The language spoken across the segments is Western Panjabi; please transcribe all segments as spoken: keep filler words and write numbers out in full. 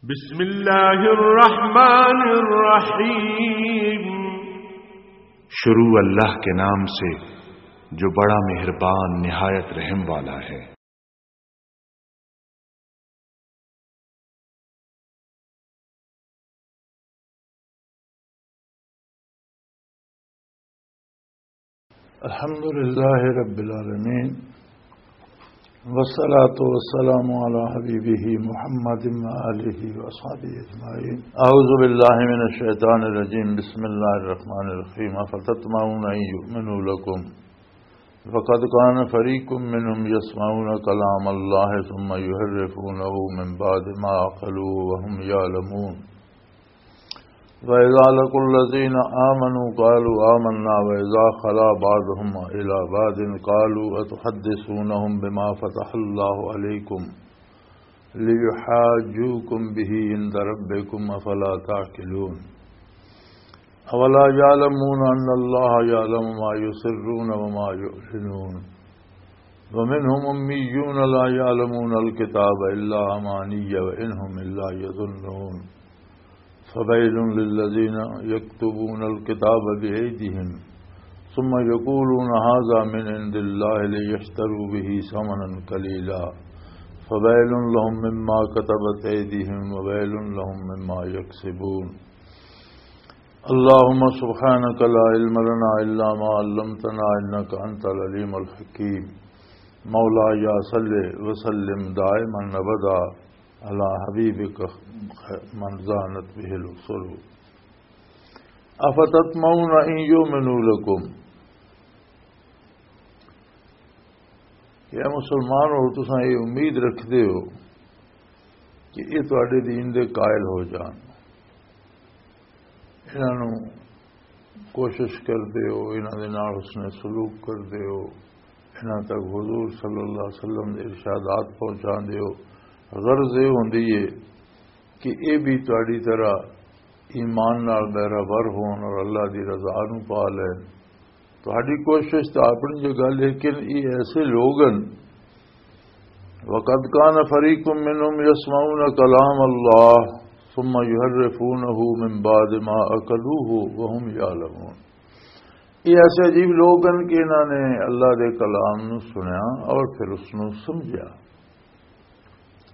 بسم اللہ الرحمن الرحیم۔ شروع اللہ کے نام سے، جو بڑا مہربان، نہایت رحم والا ہے۔ الحمد لله رب العالمين، والصلاة والسلام على حبيبه محمد وآله وأصحابه أجمعين. أعوذ بالله من الشيطان الرجيم. بسم الله الرحمن الرحيم. أفتطمعون أن يؤمنوا لكم وقد كان فريق منهم يسمعون كلام الله ثم يحرفونه من بعد ما عقلوه وهم يعلمون. وإذا لقوا الذين آمنوا قالوا آمنا وإذا خلا بعضهم إلى بعض قالوا أتحدثونهم بما فتح الله عليكم ليحاجوكم به عند ربكم أفلا تعقلون. أولا يعلمون أن الله يعلم ما يسرون وما يعلنون. ومنهم أميون لا يعلمون الكتاب إلا أماني وإن هم إلا يظنون. فويل للذين يكتبون الكتاب بأيديهم ثم يقولون هذا من عند الله ليشتروا به ثمنا قليلا. فويل لهم مما كتبت أيديهم وويل لهم مما يكسبون. اللهم سبحانك لا علم لنا إلا ما علمتنا إنك أنت العليم الحكيم. مولاي صل وسلم دائما أبدا على حبيبك من زانت به الأصول. أفتطمعون أن يؤمنوا لكم. کہ اے مسلمان ہو، تساں یہ امید رکھدے ہو کہ یہ تواڈے دین دے قائل ہو جان، انہاں نوں کوشش کردے ہو، انہاں دے نال حسن سلوک کردے ہو، انہاں تک حضور صلی اللہ علیہ وسلم دے ارشادات پہنچاندے ہو۔ غرض یہ ہوندی ہے کہ یہ بھی تہاڈی طرح ایمان نال بہرہ بر ہون اور اللہ دی رضا نو پا لین۔ تہاڈی کوشش تاں اپنی جگہ، لیکن یہ ایسے لوگ ہن، وقد كان فريق منهم يسمعون كلام الله ثم يحرفونه من بعد ما عقلوه وهم يعلمون۔ یہ ایسے عجیب لوگ ہن کہ انہاں نے اللہ دے کلام نو سنیا اور پھر اس نو سمجھیا۔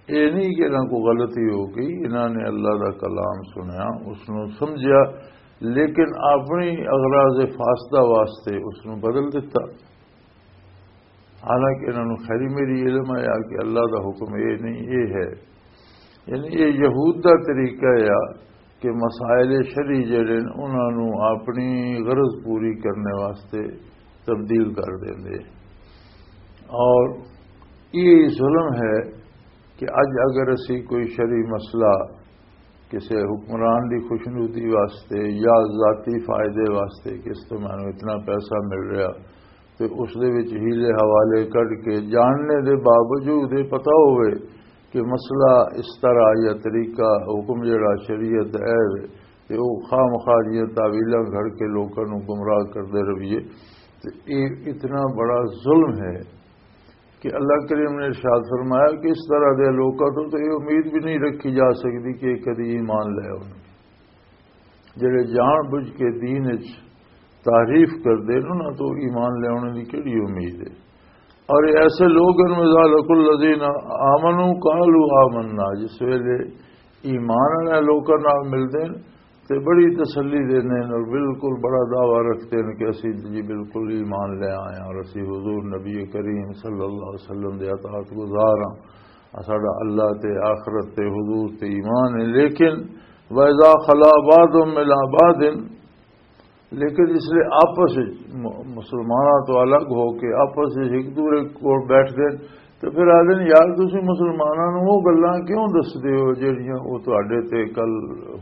یہ نہیں کہ انہاں کو غلطی ہو گئی، انہاں نے اللہ دا کلام سنیا، اس نو سمجھیا، لیکن اپنی اغراض فاسدہ واسطے اس نو بدل دیتا۔ حالانکہ انہاں نوں خیری میری علم آیا کہ اللہ دا حکم یہ نہیں، یہ ہے۔ یعنی یہ یہود دا طریقہ ہے کہ مسائل شرعی جڑے نے، انہاں نوں اپنی غرض پوری کرنے واسطے تبدیل کر دیندے۔ اور یہ ظلم ہے کہ اج اگر اسی کوئی شرعی مسئلہ کسی حکمران دی خوشنودی واسطے یا ذاتی فائدے واسطے کہ اس تو مینوں اتنا پیسہ مل رہا، تے اس دے وچ ہیلے حوالے کڈ کے جاننے دے باوجود یہ پتہ ہوئے کہ مسئلہ اس طرح یا طریقہ حکم جڑا شریعت ہے وے، تے او خام خواہ دیاں تعویلاں گھڑ کے لوکاں نوں گمراہ کردے رہیے، تے یہ اتنا بڑا ظلم ہے کہ اللہ کریم نے ارشاد فرمایا کہ اس طرح دے لوکاں تو تو یہ امید بھی نہیں رکھی جا سکتی کہ کدی ایمان لے آؤ۔ جڑے جان بوجھ کے دین وچ تعریف کردے نے، انہاں تو ایمان لیاونے دی کیڑی امید ہے؟ اور یہ ایسے لوگ ہیں، وَإِذَا لَقُوا الَّذِينَ آمَنُوا قَالُوا آمَنَّا، جس ویلے ایمان والے لوکاں نال ملدے نے تے بڑی تسلی دیندے نے اور بالکل بڑا دعویٰ رکھدے نے کہ اسی جی بالکل ایمان لے آئے ہیں اور اسی حضور نبی کریم صلی اللہ علیہ وسلم دے اطاعت گزار ہاں، ساڈا اللہ تے آخرت تے حضور تے ایمان ہے۔ لیکن وَإِذَا خَلَا بَعْضُهُمْ إِلَىٰ بَعْضٍ، لیکن اس لیے آپس وچ م-، مسلماناں تو الگ ہو کے آپس وچ ایک دوسرے کول بیٹھ گئے تے پھر آدھے نے، "یار، تسی مسلماناں نوں وہ گلاں کیوں دسدے ہو جہڑیاں وہ تہاڈے تے کل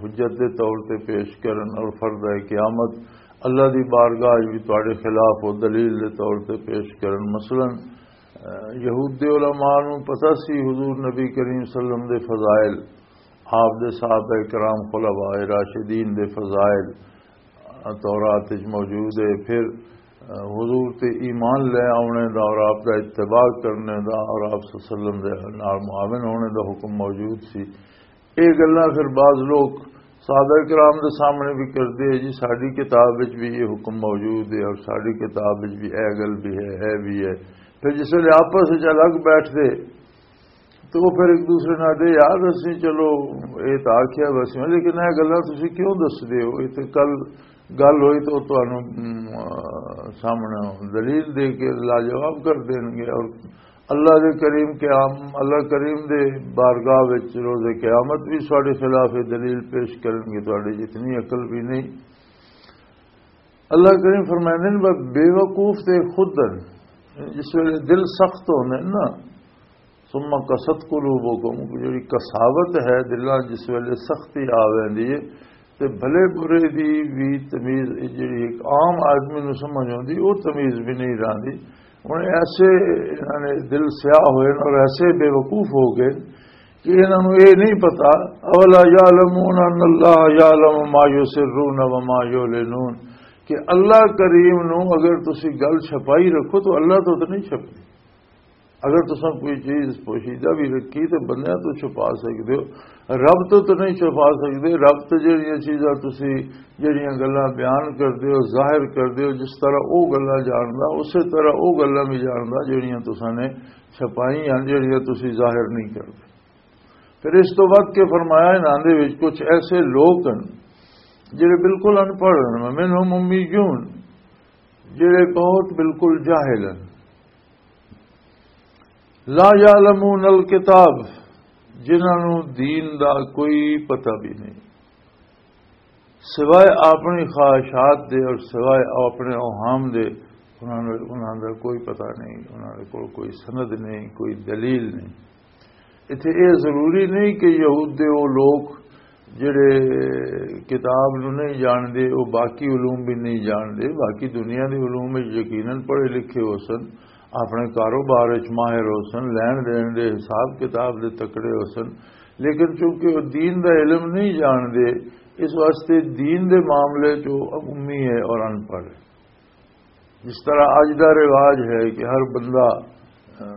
حجت دے طور تے پیش کرن اور فرد قیامت اللہ دی بارگاہ وچ بھی تہاڈے خلاف وہ دلیل دے طور تے پیش کرن؟" مثلاً، اہ، یہود دے علماء نوں پتہ سی حضور نبی کریم صلی اللہ علیہ وسلم دے فضائل، آپ دے صحابہ کرام، خلفاء راشدین دے فضائل، تورات وچ موجود ہے۔ پھر، آ، حضور تے ایمان لے آونے دا اور آپ دا اتباع کرنے دا اور آپ صلی اللہ علیہ وسلم دے نال معاون ہونے دا حکم موجود سی۔ یہ گلاں پھر بعض لوگ صحابہ کرام دے سامنے بھی کردے ہیں، جی ساری کتاب وچ بھی یہ حکم موجود ہے اور ساری کتاب وچ بھی اے گل بھی ہے، اے بھی ہے۔ پھر جس ویلے آپس وچ الگ بیٹھدے تو وہ پھر ایک دوسرے نال دے، "یار، اسی چلو یہ تو آکھیا ویسے، لیکن یہ گلاں تسی کیوں دسدے ہو؟ یہ تو کل گل ہوئی تو تانوں، ام، سامنے دلیل دے کے لاجواب کر دین گے۔" اور اللہ دے کریم قیام، اللہ کریم دے بارگاہ وچ روز قیامت بھی ساڈے خلاف یہ دلیل پیش کرن گے، تہاڈے جتنی عقل بھی نہیں۔ اللہ کریم فرمائندے نے، بے وقوف تے خود ہن، جس ویلے دل سخت ہوندے نا، ثم قست قلوبکم، جڑی قساوت ہے دلاں، جس ویلے سختی آ ویندی ہے، تے بھلے برے دی بھی تمیز، جڑی ایک عام آدمی نوں سمجھ آندی، وہ تمیز بھی نہیں راندی۔ ہن ایسے انہاں نے دل سیاہ ہوئے نے اور ایسے بے وقوف ہو گئے کہ انہاں نوں یہ نہیں پتا، اولا یعلمون ان اللہ یعلم ما یسرون و ما یعلنون، کہ اللہ کریم نوں اگر تسی گل چھپائی رکھو تو اللہ تو نہیں چھپدی۔ اگر تساں کوئی چیز پوشیدہ بھی رکھی تے بندیاں تو چھپا سکدے ہو، رب تو تو نہیں چھپا سکدے۔ رب تو جڑیاں چیزاں تسی، جڑیاں گلاں بیان کردے ہو، ظاہر کردے ہو، جس طرح او گلاں جاندا، اسی طرح او گلاں بھی جاندا جڑیاں تساں نے چھپائی ہیں، جڑیاں تسی ظاہر نہیں کردے۔ پھر اس تو ود کے فرمایا، انہاں دے وچ کچھ ایسے لوگ ہیں جڑے بالکل ان پڑھ ہیں، منہم امیون، جڑے بہت بالکل جاہل ہیں، لا یعلمون الکتاب، جنہاں نوں دین دا کوئی پتہ بھی نہیں، سوائے اپنی خواہشات دے اور سوائے اپنے اوہام دے، انہاں نوں، انہاں دا کوئی پتہ نہیں، انہاں دے کول کوئی سند نہیں، کوئی دلیل نہیں۔ اتھے یہ ضروری نہیں کہ یہود دے وہ لوگ جڑے کتاب نوں نہیں جاندے، وہ باقی علوم بھی نہیں جاندے۔ باقی دنیا دے علوم وچ یقیناً پڑھے لکھے ہو سن، اپنے کاروبار وچ ماہر ہو سن، لین دین دے حساب کتاب دے تکڑے ہو سن، لیکن چونکہ وہ دین دا علم نہیں جاندے، اس واسطے دین دے معاملے چ وہ امی ہے اور ان پڑھ ہے۔ جس طرح اج دا رواج ہے کہ ہر بندہ، آ،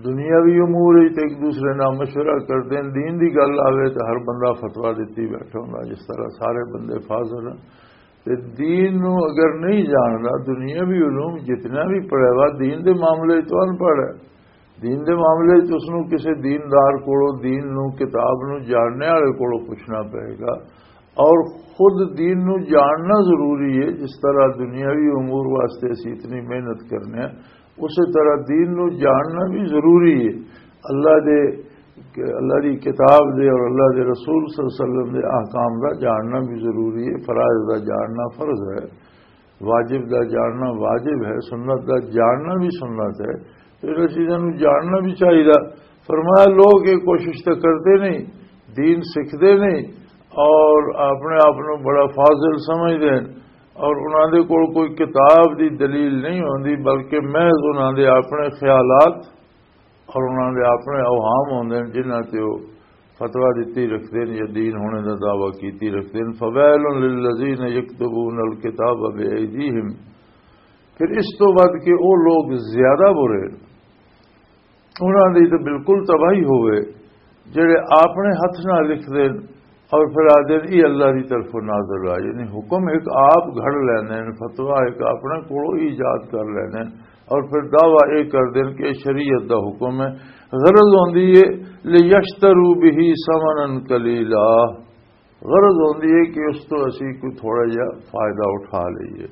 دنیاوی امور وچ تے ایک دوسرے نال مشورہ کردے ہیں، دین دی گل آوے تے ہر بندہ فتویٰ دتی بیٹھا ہوندا، جس طرح سارے بندے فاضل ہیں۔ تے دین نو اگر نہیں جاندا، دنیاوی علوم جتنا بھی پڑھے وا، دین دے معاملے وچ تو ان پڑھ ہے۔ دین دے معاملے وچ اس نوں کسے دیندار کولوں، دین نوں، کتاب نوں جاننے والے کولوں پوچھنا پئے گا۔ اور خود دین نوں جاننا ضروری ہے، جس طرح دنیاوی امور واسطے اسی اتنی محنت کرنے ہیں، اسی طرح دین نوں جاننا بھی ضروری ہے۔ اللہ دے، اللہ دی کتاب دے اور اللہ دے رسول صلی اللہ علیہ وسلم دے احکام دا جاننا بھی ضروری ہے، فرائض دا جاننا فرض ہے۔ واجب دا جاننا واجب ہے، سنت دا جاننا بھی سنت ہے۔ تو انہاں چیزاں نوں جاننا بھی چاہیدا۔ فرمایا، لوگ یہ کوشش تو کرتے نہیں، دین سیکھتے نہیں اور اپنے آپ نوں بڑا فاضل سمجھتے ہیں، اور انہاں دے کول کوئی کتاب دی دلیل نہیں ہوندی، بلکہ محض انہاں دے اپنے خیالات اور انہاں دے اپنے اوہام ہوندے نے، جنہاں تے او فتویٰ دتی رکھدے نے یا دین ہونے دا دعویٰ کیتی رکھدے نے۔ فویل للذین یکتبون الکتاب بایدیہم۔ پھر اس تو بعد کہ او لوگ زیادہ برے، انہاں دی تے بالکل تباہی ہوئے، جڑے اپنے ہتھ نال لکھدے نے اور پھر آدھے نے، "یہ اللہ دی طرفوں نازل ہوا"، یعنی حکم ایک آپ گھڑ لیندے نے، فتویٰ ایک اپنے کولوں ایجاد کر لیندے نے اور پھر دعویٰ یہ کردے نے کہ یہ شریعت دا حکم ہے۔ غرض ہوندی ہے، "لیشتروا بہ ثمنا قلیلا"، غرض ہوندی ہے کہ اس تو اسی کوئی تھوڑا جہا فائدہ اٹھا لئیے۔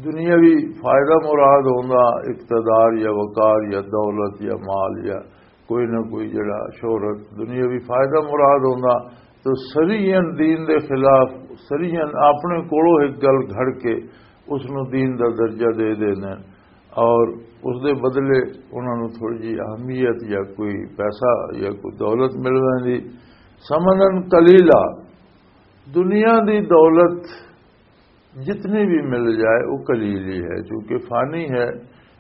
دنیاوی فائدہ مراد ہوندا، اقتدار یا وقار یا دولت یا مال یا کوئی نہ کوئی جڑا شہرت، دنیاوی فائدہ مراد ہوندا۔ تو سریعن دین دے خلاف، سریعن اپنے کولوں ایک گل گھڑ کے اس نوں دین دا درجہ دے دیندے نے اور اس دے بدلے انہاں نوں تھوڑی جی اہمیت یا کوئی پیسہ یا کوئی دولت مل ویندی۔ ثمنا قلیلا، دنیا دی دولت جتنی بھی مل جائے، وہ قلیل ہی ہے، چونکہ فانی ہے،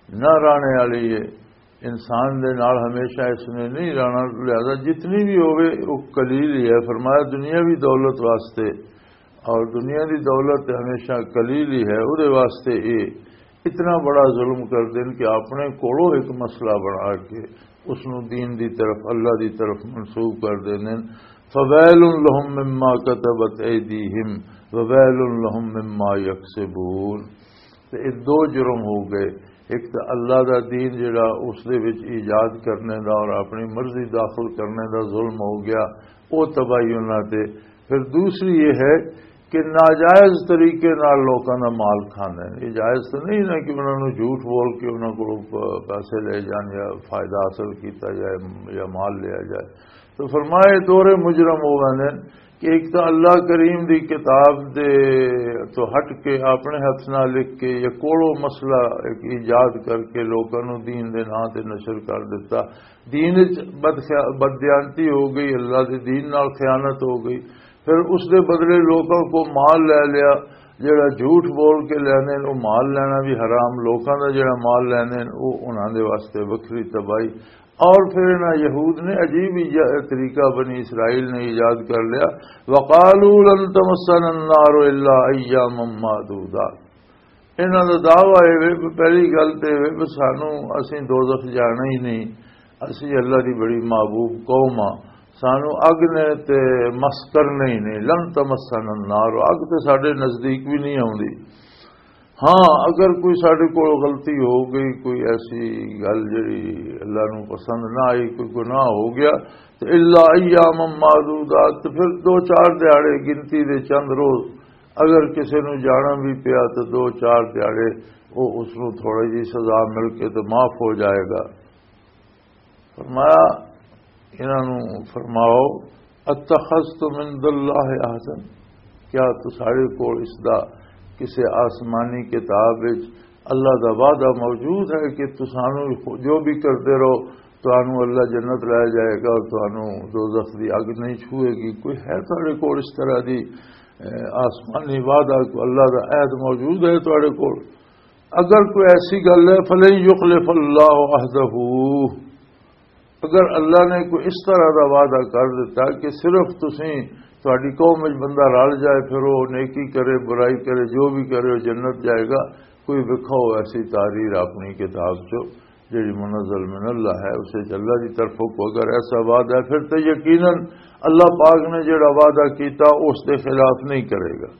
نہ رہنے والی ہے۔ انسان دے نال ہمیشہ اس نے نہیں رہنا، لہذا جتنی بھی ہوئے، وہ قلیل ہی ہے۔ فرمایا، دنیاوی دولت واسطے، اور دنیا دی دولت ہمیشہ قلیل ہی ہے، وہ دے واسطے یہ اتنا بڑا ظلم کر دین کہ اپنے کولوں ایک مسئلہ بنا کے اس نوں دین دی طرف، اللہ دی طرف منسوب کر دیندے نے۔ فویل لهم مما كتبت ایدیہم وویل لهم مما یکسبون۔ تے یہ دو جرم ہو گئے۔ ایک تو اللہ دا دین جڑا اس دے وچ ایجاد کرنے دا اور اپنی مرضی داخل کرنے دا ظلم ہو گیا، وہ تباہی انہاں تے۔ پھر دوسری یہ ہے کہ ناجائز طریقے نال لوکاں دا مال کھاندے نے۔ یہ جائز تو نہیں نا کہ انہاں نوں جھوٹ بول کے انہاں کولوں پ-، پیسے لے جان یا فائدہ حاصل کیتا جائے یا مال لیا جائے۔ تو فرمایا، یہ دو مجرم ہو گئے نے کہ ایک تو اللہ کریم دی کتاب دے تو ہٹ کے اپنے ہاتھ نال لکھ کے یا کولوں مسئلہ ایک ایجاد کر کے لوکاں نوں دین دے نام تے نشر کر دیتا۔ دین وچ بدخیا-، بددیانتی ہو گئی، اللہ دے دین نال خیانت ہو گئی۔ پھر اس دے بدلے لوکاں کو مال لے لیا، جڑا جھوٹ بول کے لینے، وہ مال لینا بھی حرام، لوکاں دا جڑا مال لینے، وہ انہاں دے واسطے وکھری تباہی۔ اور پھر انہاں یہود نے عجیب ایجا-، طریقہ بنی اسرائیل نے ایجاد کر لیا، وقالوا لن تمسنا النار الا ایاما معدودات۔ انہاں دا دعویٰ اے وے، پہلی گل تے اے وے، سانو، اسیں دوزخ جانا ہی نہیں، اسیں اللہ دی بڑی محبوب قوم ہاں، سانو اگ نے تے مس کرنا ہی نہیں، لن تمسنا النار، اگ تے ساڈے نزدیک بھی نہیں آوندی۔ ہاں، اگر کوئی ساڈے کول غلطی ہو گئی، کوئی ایسی گل جڑی اللہ نو پسند نہ آئی، کوئی گناہ ہو گیا، تے الا ایام معدودات، تے پھر دو چار دیہاڑے گنتی دے چند روز، اگر کسے نو جانا بھی پیا تے دو چار دیہاڑے وہ اس نو تھوڑی جی سزا مل کے تے معاف ہو جائے گا۔ فرمایا، انہاں نو فرماؤ، اتخذتم عند اللہ عہدا، کیا تساڈے کول اس دا کسے آسمانی کتاب وچ اللہ دا وعدہ موجود ہے کہ تسانو جو بھی کردے رہو، تانوں اللہ جنت لے جائے گا اور تانوں دوزخ دی اگ نہیں چھوئے گی؟ کوئی ہے تہاڈے کول اس طرح دی، اے، آسمانی وعدہ، کوئی اللہ دا عہد موجود ہے تہاڈے کول؟ اگر کوئی ایسی گل ہے، فلن یخلف اللہ عہدہ، اگر اللہ نے کوئی اس طرح دا وعدہ کر دیتا کہ صرف تسیں، تہاڈی قوم وچ بندہ رل جائے، پھر وہ نیکی کرے، برائی کرے، جو بھی کرے، وہ جنت جائے گا، کوئی وکھاؤ ایسی تحریر اپنی کتاب چو، جڑی منزل من اللہ ہے، اسے چ اللہ دی طرفوں کو اگر ایسا وعدہ ہے، پھر تو یقیناً اللہ پاک نے جڑا وعدہ کیتا، اس دے خلاف نہیں کرے گا۔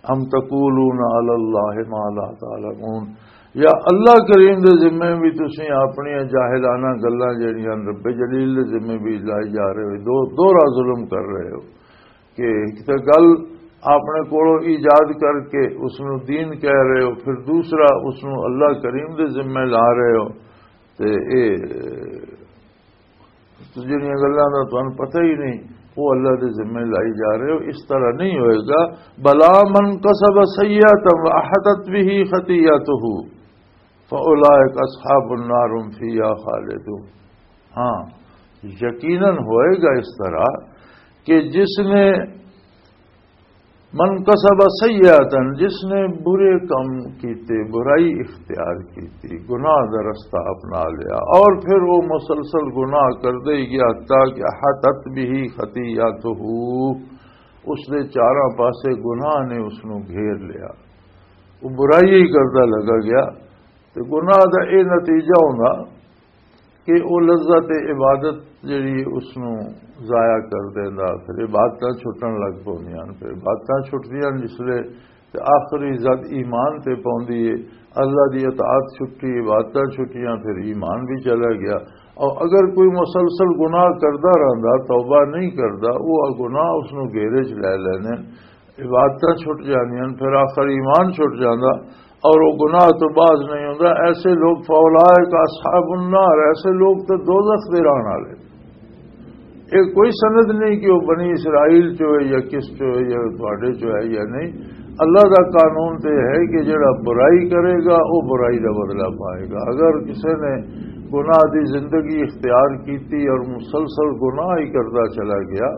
ام تقولون علی اللہ ما لا تعلمون، یا اللہ کریم دے ذمے بھی تسیں اپنی جاہلانہ گلاں جڑیاں رب جلیل دے ذمے بھی لائی جا رہے ہو، دو، دوہرا ظلم کر رہے ہو کہ ایک تے گل اپنے کولوں ایجاد کر کے اس نو دین کہہ رہے ہو، پھر دوسرا اس نو اللہ کریم دے ذمے لا رہے ہو۔ تے اے جڑیاں گلاں دا تانوں پتہ ہی نہیں، وہ اللہ دے ذمے لائی جا رہے ہو، اس طرح نہیں ہوئے گا۔ بلا من کسب سیئۃ واحاطت بہ خطیئتہ فاولئک اصحاب النار هم فیہا خالدون۔ ہاں، یقیناً ہوئے گا اس طرح کہ جس نے من کسب سیئاتن، جس نے برے کام کیتے، برائی اختیار کیتی، گناہ دا رستہ اپنا لیا اور پھر وہ مسلسل گناہ کردے ہی گیا، حتیٰ کہ احاطت بہ خطیئتہ، اس دے چاراں پاسے گناہ نے اس نو گھیر لیا، وہ برائی ہی کردا لگا گیا۔ تے گناہ دا اے نتیجہ ہوندا کہ او لذت عبادت جڑی اس نو ضائع کر دیندا، پھر عبادتاں چھٹن لگ پوندیاں ہن۔ پھر عبادتاں چھٹدیاں ہن جس لے تے آخری زد ایمان تے پوندی ہے، اللہ دی اطاعت چھٹی، عبادتاں چھٹیاں، پھر ایمان بھی چلا گیا۔ اور اگر کوئی مسلسل گناہ کردا رہندا، توبہ نہیں کردا، وہ گناہ اس نو گھیرے چ لے لینے، عبادتاں چھٹ جاندیاں، پھر آخر ایمان چھٹ جاندا اور وہ گناہ تو باز نہیں ہوندا۔ ایسے لوگ فاولئک اصحاب النار، ایسے لوگ تو دوزخ دے رہن والے۔ یہ کوئی سند نہیں کہ وہ بنی اسرائیل چو ہے یا کس چو ہے یا تواڈے چو ہے یا نہیں۔ اللہ دا قانون تے ہے کہ جڑا برائی کرے گا، وہ برائی دا بدلہ پائے گا۔ اگر کسی نے گناہ دی زندگی اختیار کیتی اور مسلسل گناہ ہی کردا چلا گیا،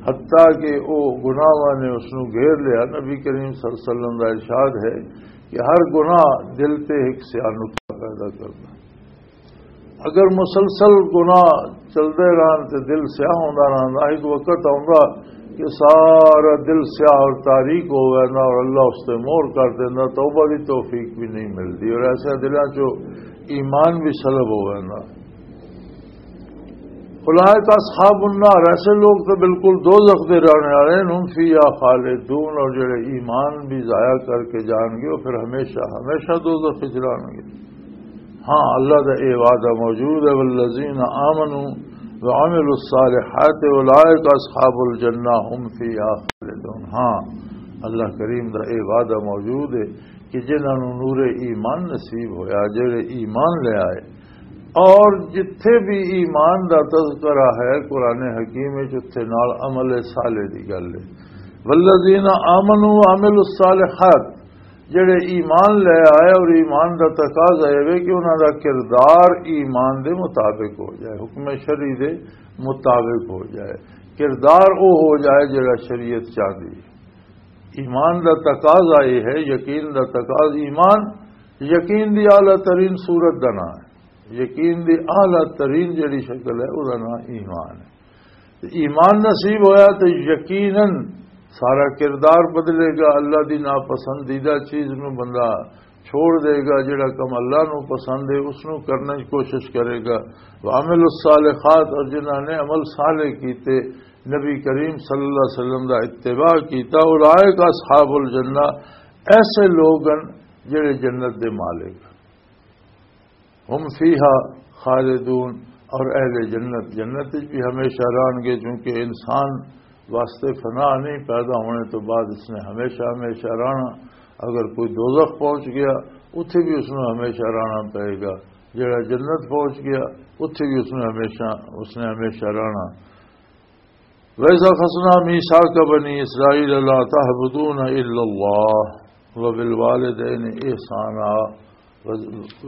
حتیٰ کہ وہ گناہاں نے اس نو گھیر لیا، نبی کریم صلی اللہ علیہ وسلم دا ارشاد ہے کہ ہر گناہ دل تے ایک سیاہ نقطہ پیدا کردا۔ اگر مسلسل گناہ چلدے رہن تے دل سیاہ ہوندا رہندا، ایک وقت آوندا کہ سارا دل سیاہ اور تاریک ہو وینا اور اللہ اس تے مور کر دینا، توبہ دی توفیق بھی نہیں ملتی اور ایسے دلاں چوں ایمان بھی سلب ہو وینا۔ اولئک اصحاب النار، ایسے لوگ تو بالکل دوزخ دے رہنے والے ہیں، هم فیہا خالدون، اور جڑے ایمان بھی ضائع کر کے جان گے، وہ پھر ہمیشہ ہمیشہ دوزخ وچ رہن گے۔ ہاں، اللہ دا اے وعدہ موجود ہے، والذین آمنوا وعملوا الصالحات اولئک اصحاب الجنہ هم فیہا خالدون۔ ہاں، اللہ کریم دا اے وعدہ موجود ہے کہ جنہاں نوں نور ایمان نصیب ہویا، جڑے ایمان لے آئے، اور جتھے بھی ایمان دا تذکرہ ہے قرآن حکیم وچ، اتھے نال عمل صالح دی گل ہے۔ والذین آمنوا وعملوا الصالحات، جڑے ایمان لے آئے اور ایمان دا تقاضا اے وے کہ انہاں دا کردار ایمان دے مطابق ہو جائے، حکم شرعی دے مطابق ہو جائے، کردار او ہو جائے جڑا شریعت چاہتی ہے۔ ایمان دا تقاضا یہ ہے، یقین دا تقاضا، ایمان یقین دی اعلیٰ ترین صورت دا نام ہے، یقین دی اعلیٰ ترین جڑی شکل ہے، او دا نام ایمان ہے۔ تے ایمان نصیب ہویا تے یقیناً سارا کردار بدلے گا۔ اللہ دی ناپسندیدہ چیز نو بندہ چھوڑ دے گا، جڑا کم اللہ نو پسند ہے اس نو کرنے کی کوشش کرے گا۔ وعمل الصالحات، اور جنہاں نے عمل صالح کیتے، نبی کریم صلی اللہ علیہ وسلم دا اتباع کیتا، اولئک اصحاب الجنہ، ایسے لوگ ہیں جڑے جنت دے مالک، هم فیہا خالدون، اور اہل جنت جنت وچ بھی ہمیشہ رہن گے، چونکہ انسان واسطے فنا نہیں، پیدا ہونے تو بعد اس نے ہمیشہ ہمیشہ رہنا۔ اگر کوئی دوزخ پہنچ گیا، اتھے بھی اس نے ہمیشہ رہنا پائے گا، جڑا جنت پہنچ گیا، اتھے بھی اس نے ہمیشہ، اس نے ہمیشہ رہنا۔ وَإِذْ أَخَذْنَا مِيثَاقَ بَنِي إِسْرَائِيلَ لَا تَعْبُدُونَ إِلَّا اللَّهَ وَبِالْوَالِدَيْنِ إِحْسَانًا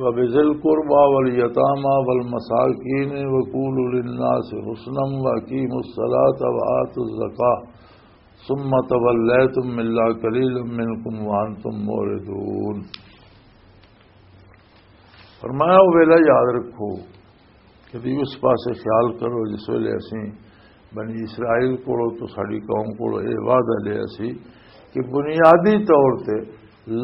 وَبِذِي الْقُرْبَى وَالْيَتَامَى وَالْمَسَاكِينِ وَقُولُوا لِلنَّاسِ حُسْنًا وَأَقِيمُوا الصَّلَاةَ وَآتُوا الزَّكَاةَ ثُمَّ تَوَلَّيْتُمْ إِلَّا قَلِيلًا مِّنكُمْ وَأَنتُم مُّعْرِضُونَ۔ فرمایا، وہ ویلا یاد رکھو، کدی اس پاسے خیال کرو جس ویلے اسی بنی اسرائیل کولوں تو ساڈی قوم کولوں یہ وعدہ لیا سی کہ بنیادی طور تے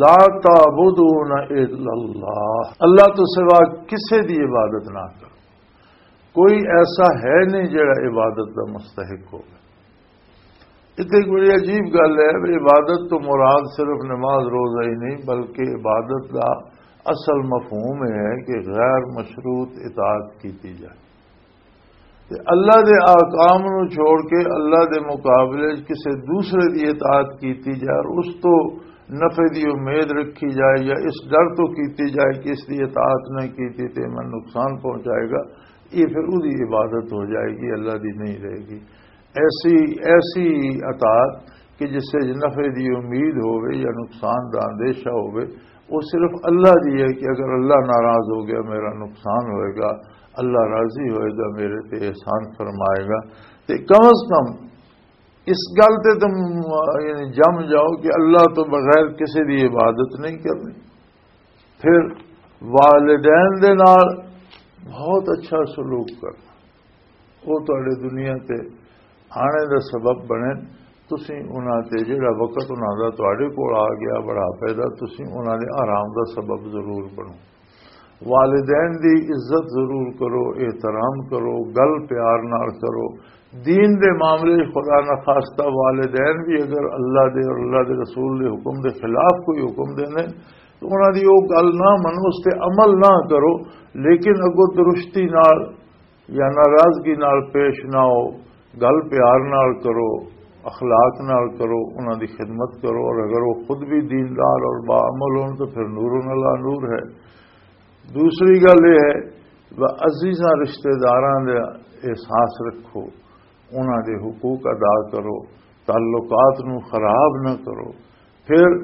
لا تعبدون الا اللہ، اللہ تو سوا کسے دی عبادت نہ کرو۔ کوئی ایسا ہے نہیں جڑا عبادت دا مستحق ہوگا۔ اتنے ایک بڑی عجیب گل ہے، عبادت تو مراد صرف نماز روزہ ہی نہیں، بلکہ عبادت دا اصل مفہوم یہ ہے کہ غیر مشروط اطاعت کیتی جائے۔ تے اللہ دے احکام نو چھوڑ کے اللہ دے مقابلے وچ کسے دوسرے دی اطاعت کیتی جائے اور اس تو نفع دی امید رکھی جائے یا اس ڈر تو کیتی جائے کہ اس دی اطاعت نہ کیتی تے میں نقصان پہنچائے گا، یہ پھر وہی عبادت ہو جائے گی، اللہ دی نہیں رہے گی۔ ایسی، ایسی اطاعت کہ جس سے نفع دی امید ہووے یا نقصان دا اندیشہ ہووے، وہ صرف اللہ دی ہے کہ اگر اللہ ناراض ہو گیا، میرا نقصان ہوئے گا، اللہ راضی ہوئے گا، میرے تے احسان فرمائے گا۔ تے کم از کم اس گل تے تم، یعنی، جم جاؤ کہ اللہ تو بغیر کسی دی عبادت نہیں کرنی۔ پھر والدین دے نال بہت اچھا سلوک کرنا، وہ تہاڈے دنیا تے آنے دا سبب بنے۔ تسی انہاں تے جڑا وقت انہاں دا تہاڈے کول آ گیا بڑھاپے دا، تسی انہاں دے آرام دا سبب ضرور بنو۔ والدین دی عزت ضرور کرو، احترام کرو، گل پیار نال کرو۔ دین دے معاملے وچ خدا نخواستہ والدین بھی اگر اللہ دے اور اللہ دے رسول دے حکم دے خلاف کوئی حکم دینے تو انہاں دی وہ گل نہ منو، اس تے عمل نہ کرو، لیکن اگوں درستی نال یا ناراضگی نال پیش نہ ہو، گل پیار نال کرو، اخلاق نال کرو، انہاں دی خدمت کرو، اور اگر وہ خود بھی دیندار اور باعمل ہون تو پھر نور علی نور ہے۔ دوسری گل یہ ہے، وہ عزیزاں رشتہ داراں دے احساس رکھو، انہاں دے حقوق ادا کرو، تعلقات نو خراب نہ کرو۔ پھر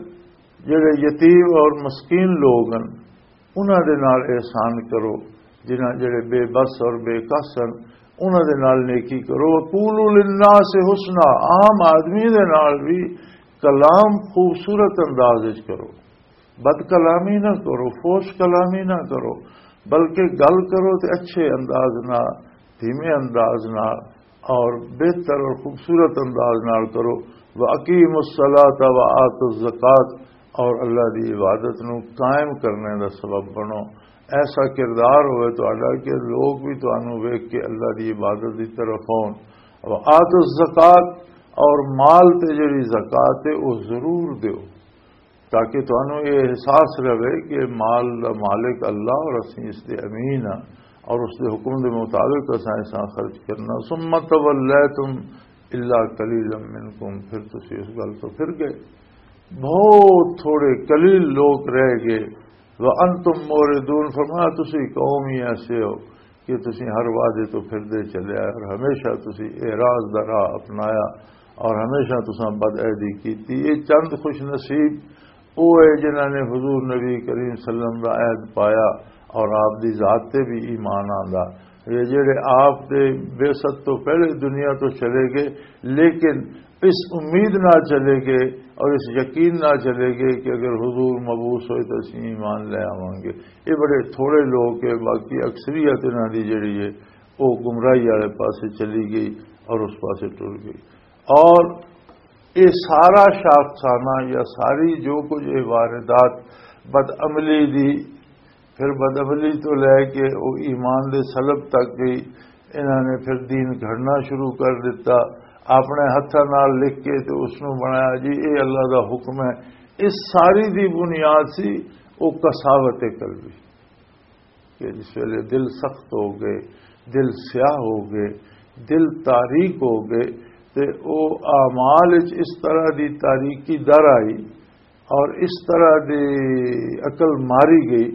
جڑے یتیم اور مسکین لوگ ہیں، انہاں دے نال احسان کرو، جنہاں جڑے بے بس اور بے کس ہیں، انہاں دے نال نیکی کرو۔ وقولوا للناس حسنا، عام آدمی دے نال بھی کلام خوبصورت انداز وچ کرو، بد کلامی نہ کرو، فوش کلامی نہ کرو، بلکہ گل کرو تے اچھے انداز نال، دھیمے انداز نال، اور بہتر اور خوبصورت انداز نال کرو۔ وَأَقِيمُوا الصَّلَاةَ وَآتُوا الزَّكَاةَ، اور اللہ دی عبادت نو قائم کرنے دا سبب بنو۔ ایسا کردار ہوئے تہاڈا کہ لوگ بھی تانوں ویکھ کے اللہ دی عبادت دی طرف آؤن۔ وَآتُوا الزَّكَاةَ، اور مال تے جڑی زکوٰۃ ہے، وہ ضرور دیو، تاکہ تانوں یہ احساس رہے کہ مال دا مالک اللہ اور اسی اس دے امین ہاں، اور اس دے حکم دے مطابق اساں اساں خرچ کرنا۔ ثم تولیتم الا قلیلا منکم، پھر تسی اس گل تو پھر گئے، بہت تھوڑے قلیل لوگ رہ گئے۔ وانتم موردون، فرمایا تسی قوم ہی ایسے ہو کہ تسی ہر وعدے تو پھردے چلے آئے اور ہمیشہ تسی اعراض دا راہ اپنایا اور ہمیشہ تساں بد عہدی کیتی۔ یہ چند خوش نصیب وہ ہے جنہاں نے حضور نبی کریم صلی اللہ علیہ وسلم دا عہد پایا اور آپ دی ذات تے بھی ایمان آندا۔ یہ جڑے آپ دے بعثت تو پہلے دنیا تو چلے گئے، لیکن اس امید نہ چلے گئے اور اس یقین نہ چلے گئے کہ اگر حضور مبعوث ہوئے تو اسی ایمان لے آواں گے۔ یہ بڑے تھوڑے لوگ ہیں، باقی اکثریت انہاں دی جڑی ہے، وہ گمراہی والے پاسے چلی گئی اور اس پاسے ٹر گئی۔ اور یہ سارا شاخسانہ یا ساری جو کچھ یہ واردات بدعملی دی، پھر بدعملی تو لے کے وہ ایمان دے سلب تک گئی، انہاں نے پھر دین گھڑنا شروع کر دیتا، اپنے ہتھاں نال لکھ کے تے اس نوں بنایا جی اے اللہ دا حکم ہے۔ اس ساری دی بنیاد سی وہ قساوت قلبی۔ کہ جس ویلے دل سخت ہو گئے، دل سیاہ ہو گئے، دل تاریک ہو گئے، تے او اعمال وچ اس طرح دی تاریکی در آئی اور اس طرح دی عقل ماری گئی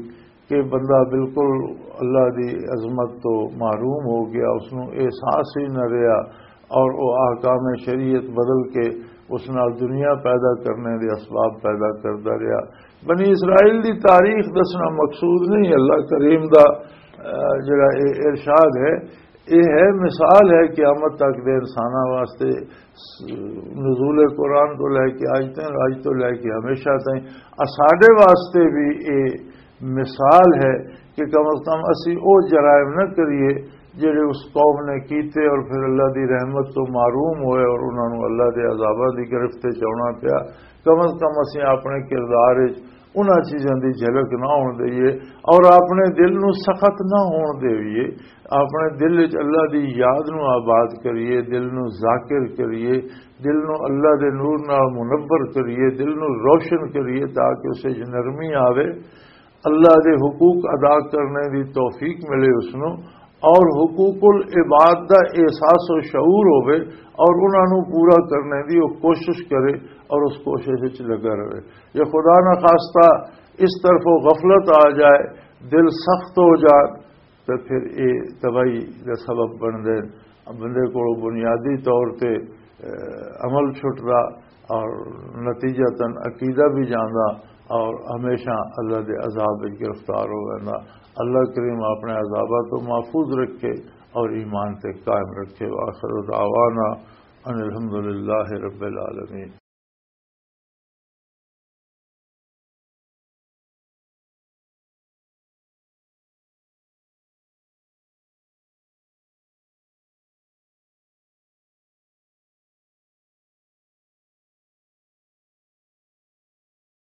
کہ بندہ بالکل اللہ دی عظمت تو محروم ہو گیا، اس نوں احساس ہی نہ رہیا۔ اور وہ احکام شریعت بدل کے اس نال دنیا پیدا کرنے دے اسباب پیدا کردا رہیا۔ بنی اسرائیل دی تاریخ دسنا مقصود نہیں، اللہ کریم دا، آ، جڑا اے ارشاد ہے، یہ ہے، مثال ہے قیامت تک دے انساناں واسطے، نزول قرآن تو لے کے اج تک، اج تو لے کے ہمیشہ تائیں، آ ساڈے واسطے بھی یہ مثال ہے کہ کم از کم اسی او جرائم نہ کریے جڑے اس قوم نے کیتے اور پھر اللہ دی رحمت تو محروم ہوئے اور انہاں نوں اللہ دے عذاباں دی گرفت وچ آنا پیا۔ کم از کم اسی اپنے کردار وچ انہاں چیزاں دی جھلک نہ ہون دئیے اور اپنے دل نوں سخت نہ ہون دئیے، اپنے دل وچ اللہ دی یاد نوں آباد کریے، دل نوں ذاکر کریے، دل نوں اللہ دے نور نال منور کریے، دل نوں روشن کریے تاکہ اس وچ نرمی آوے، اللہ دے حقوق ادا کرنے دی توفیق ملے اس نوں، اور حقوق العباد دا احساس و شعور ہوے اور انہاں نوں پورا کرنے دی وہ کوشش کرے اور اس کوشش وچ لگا رہے۔ یا خدا نہ خواستہ اس طرف وہ غفلت آ جائے، دل سخت ہو جائے، تے پھر اے تباہی دا سبب بن دے۔ بندے کولوں بنیادی طور تے، اے، عمل چھٹدا اور نتیجتاً عقیدہ بھی جاندا اور ہمیشہ اللہ دے عذاب وچ گرفتار ہو ویندا۔ اللہ کریم اپنے عذاباں تو محفوظ رکھے اور ایمان تے قائم رکھے۔ وآخر دعوانا ان الحمدللہ رب العالمین۔